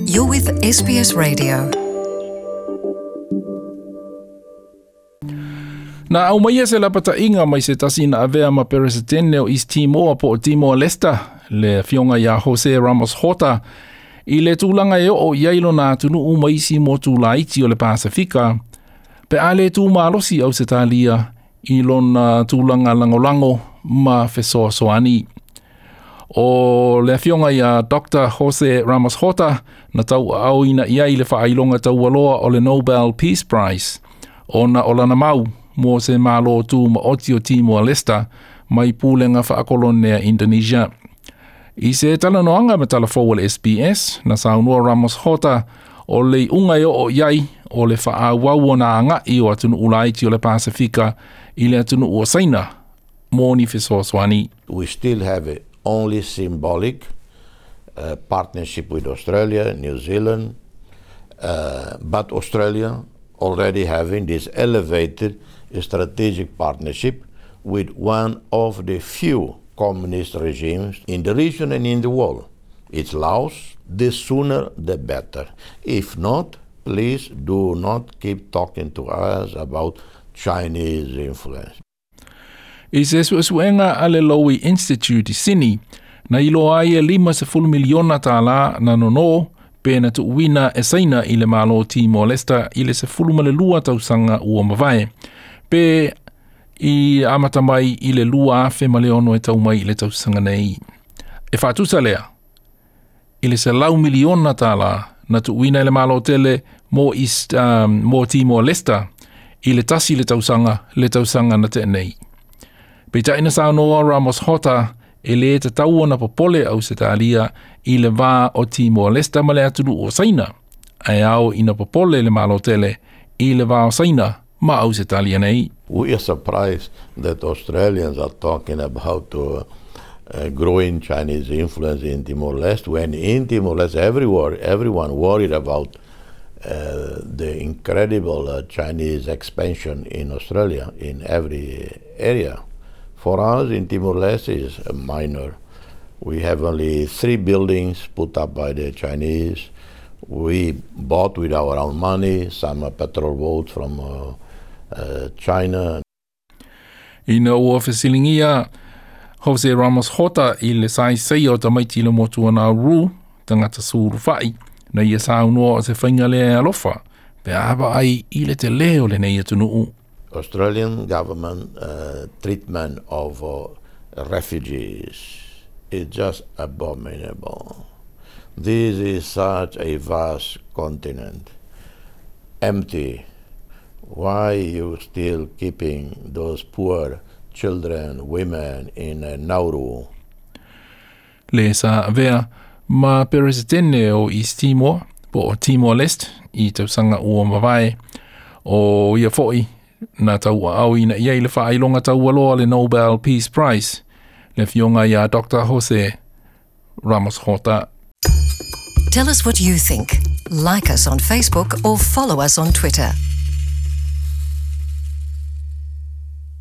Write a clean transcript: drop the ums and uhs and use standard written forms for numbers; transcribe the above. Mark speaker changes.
Speaker 1: You're with SBS Radio.
Speaker 2: Na aumaia se lapataʻiga mai se tasi na avea ma Peresetene o East Timor po o Timor Leste, le afioga iā Jose Ramos Horta, i le tulaga e oo i ai lona atunuu ma isi motu laiti o le Pasefika, pe a lē tu malosi Ausetalia i lona tulaga lagolago ma fesoasoani. O le afioga iā Dr. Jose Ramos Horta na tauaaoina i ai le faailoga taualoa o le Nobel Peace Prize, ona o lana mau mo se Malo Tumaoti o Timor Leste mai pulega faakolonea Indonesia. I se talanoaga ma talafou a le SBS, na saunoa Ramos Horta o le iuga e oo i ai o le faaauau ona agaʻi o atunuu laiti o le Pasefika i le atunuu o Saina mo ni fesoasoani.
Speaker 3: We still have a only symbolic partnership with Australia, New Zealand, but Australia already having this elevated strategic partnership with one of the few communist regimes in the region and in the world. It's Laos. The sooner the better. If not, please do not keep talking to us about Chinese influence.
Speaker 2: I se suesuega a le Lowy Institute i Sini, na iloa ai e 50 miliona tālā na nonō pe na tuuina e Saina i le Malo Timor Leste i le 12 tausaga ua mavae, pe i amata mai i le 2006 e tau mai i le tausaga nei. E faatusa lea i le 100 miliona tālā na tuuina e le Malo tele mo, East, mo Timor Leste i le 1 le tausaga le tausaga na tea nei. Peitai na saunoa Ramos Horta e lē tatau ona popole Ausetalia i le va o Timor Leste ma le atunuu o Saina, ae ao ina popole le Malo tele i le va o Saina ma Ausetalia nei.
Speaker 3: We are surprised that Australians are talking about growing Chinese influence in Timor-Leste, when in Timor-Leste everywhere, everyone worried about the incredible Chinese expansion in Australia in every area. For us in Timor-Leste is minor. We have only 3 buildings put up by the Chinese. We bought with our own money some petrol boats from China.
Speaker 2: Ina ua fesiligia Jose Ramos Horta i le saisai o tamaiti le motu o Nauru, tagata sulufai, na ia saunoa o se faiga lea e alofa, pe a vaai i le telē o lenei atunuu.
Speaker 3: Australian government treatment of refugees is just abominable. This is such a vast continent, empty. Why you still keeping those poor children, women in Nauru?
Speaker 2: Le sa avea ma Peresetene o East Timor, po o Timor Leste, i tausaga ua mavae, o ia foʻi na tauaaoina i ai le faailoga taualoa le Nobel Peace Prize, le afioga iā Dr. Jose Ramos Horta.
Speaker 1: Tell us what you think. Like us on Facebook or follow us on Twitter.